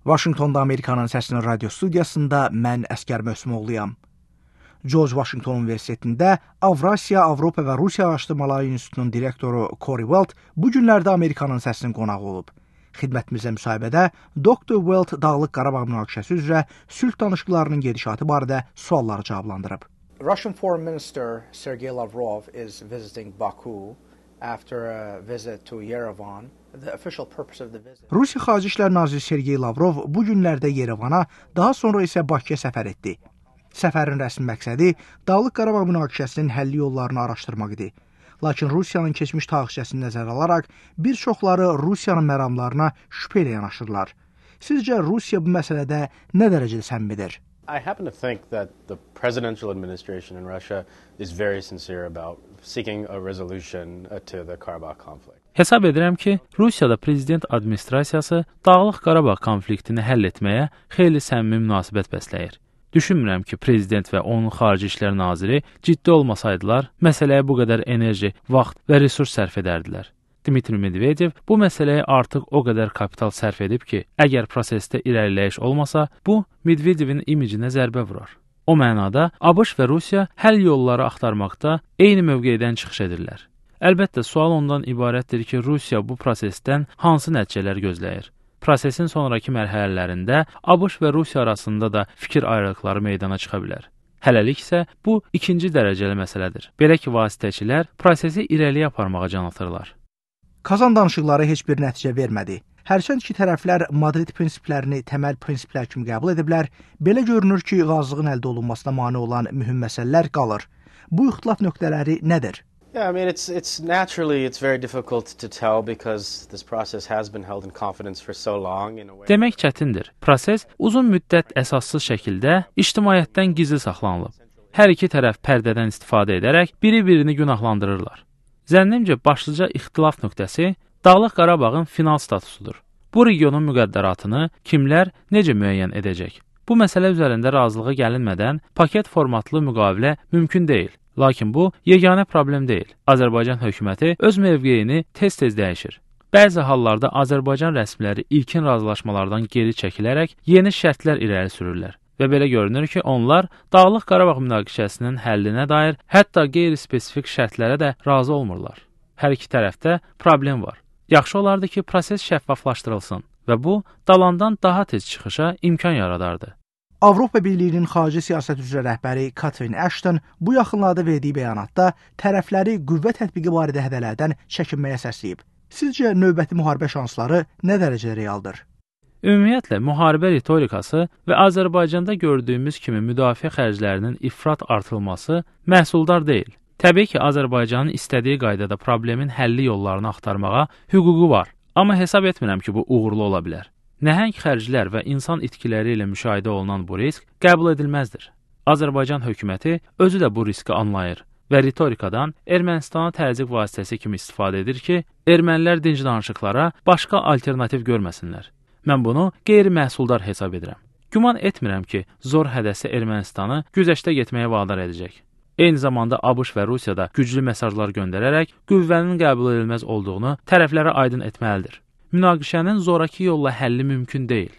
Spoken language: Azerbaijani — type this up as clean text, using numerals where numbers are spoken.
Vaşinqtonda Amerikanın Səsinin radio studiyasında mən Əskər Möhsümoğluyam. George Washington Universitetində Avrasiya, Avropa və Rusiya Araşdırmaları İnstitutunun direktoru Corey Welt bu günlərdə Amerikanın Səsinin qonağı olub. Xidmətimizə müsahibədə Dr. Welt Dağlıq Qarabağ münaqişəsi üzrə sülh danışıqlarının gedişatı barədə sualları cavablandırıb. Russian Foreign Minister Sergey Lavrov is visiting Baku after a visit to Yerevan. The official purpose of the visit. Rusiya Xarici İşlər Naziri Sergey Lavrov bu günlərdə Yerevana, daha sonra isə Bakıya səfər etdi. Səfərin rəsmi məqsədi Dağlıq Qarabağ münaqişəsinin həlli yollarını araşdırmaq idi. Lakin Rusiyanın keçmiş tarixçəsini nəzərə alaraq bir çoxları Rusiyanın məramlarına şübhə ilə yanaşırlar. Sizcə Rusiya bu məsələdə nə dərəcədə səmimidir? I happen to think that the presidential administration in Russia is very sincere about seeking a resolution to the Karabakh conflict. Hesab edirəm ki, Rusiyada prezident administrasiyası Dağlıq Qarabağ konfliktini həll etməyə xeyli səmimi münasibət bəsləyir. Düşünmürəm ki, prezident və onun xarici işlər naziri ciddi olmasaydılar, məsələyə bu qədər enerji, vaxt və resurs sərf edərdilər. Dmitri Medvedev bu məsələyə artıq o qədər kapital sərf edib ki, əgər prosesdə irəliləyiş olmasa, bu Medvedevin imicinə zərbə vurar. O mənada ABŞ və Rusiya həll yolları axtarmaqda eyni mövqedən çıxış edirlər. Əlbəttə, sual ondan ibarətdir ki, Rusiya bu prosesdən hansı nəticələr gözləyir? Prosesin sonraki mərhələlərində ABŞ və Rusiya arasında da fikir ayrılıqları meydana çıxa bilər. Hələlik isə bu ikinci dərəcəli məsələdir. Belə ki, vasitəçilər prosesi irəliyə aparmağa can atırlar. Kazan danışıqları heç bir nəticə vermədi. Hərçənd ki, tərəflər Madrid prinsiplərini təməl prinsiplər kimi qəbul ediblər, belə görünür ki, razılığın əldə olunmasına mane olan mühüm məsələlər qalır. Bu ixtilaf nöqtələri nədir? Yeah, I mean, it's very difficult to tell because this process has been held in confidence for so long in a way. Demək çətindir. Proses uzun müddət əsassız şəkildə ictimaiyyətdən gizli saxlanılıb. Hər iki tərəf pərdədən istifadə edərək biri-birini günahlandırırlar. Zənnimcə başlıca ixtilaf nöqtəsi Dağlıq Qarabağın final statusudur. Bu regionun müqəddəratını kimlər necə müəyyən edəcək? Bu məsələ üzərində razılığa gəlinmədən paket formatlı müqavilə mümkün deyil. Lakin bu yeganə problem deyil. Azərbaycan hökuməti öz mövqeyini tez-tez dəyişir. Bəzi hallarda Azərbaycan rəsmiləri ilkin razılaşmalardan geri çəkilərək yeni şərtlər irəli sürürlər. Və belə görünür ki, onlar Dağlıq Qarabağ münaqişəsinin həllinə dair hətta qeyri-spesifik şərtlərə də razı olmurlar. Hər iki tərəfdə problem var. Yaxşı olardı ki, proses şəffaflaşdırılsın və bu dalandan daha tez çıxışa imkan yaradardı. Avropa Birliyinin xarici siyasət üzrə rəhbəri Catherine Ashton bu yaxınlarda verdiyi bəyanatda tərəfləri qüvvə tətbiqi barədə hədələrdən çəkinməyə səsləyib. Sizcə növbəti müharibə şansları nə dərəcədə realdır? Ümumiyyətlə, müharibə ritorikası və Azərbaycanda gördüyümüz kimi müdafiə xərclərinin ifrat artırılması məhsuldar deyil. Təbii ki, Azərbaycanın istədiyi qaydada problemin həlli yollarını axtarmağa hüququ var. Amma hesab etmirəm ki, bu uğurlu ola bilər. Nəhəng xərclər və insan itkiləri ilə müşahidə olunan bu risk qəbul edilməzdir. Azərbaycan hökuməti özü də bu riski anlayır və ritorikadan Ermənistana təzyiq vasitəsi kimi istifadə edir ki, ermənilər dinc danışıqlara başqa alternativ görməsinlər. Mən bunu qeyri-məhsuldar hesab edirəm. Güman etmirəm ki, zor hədəsi Ermənistanı güzəştə getməyə vadar edəcək. Eyni zamanda ABŞ və Rusiya da güclü mesajlar göndərərək qüvvənin qəbul edilməz olduğunu tərəflərə aydın etməlidir. Münaqişənin zoraki yolla həlli mümkün deyil.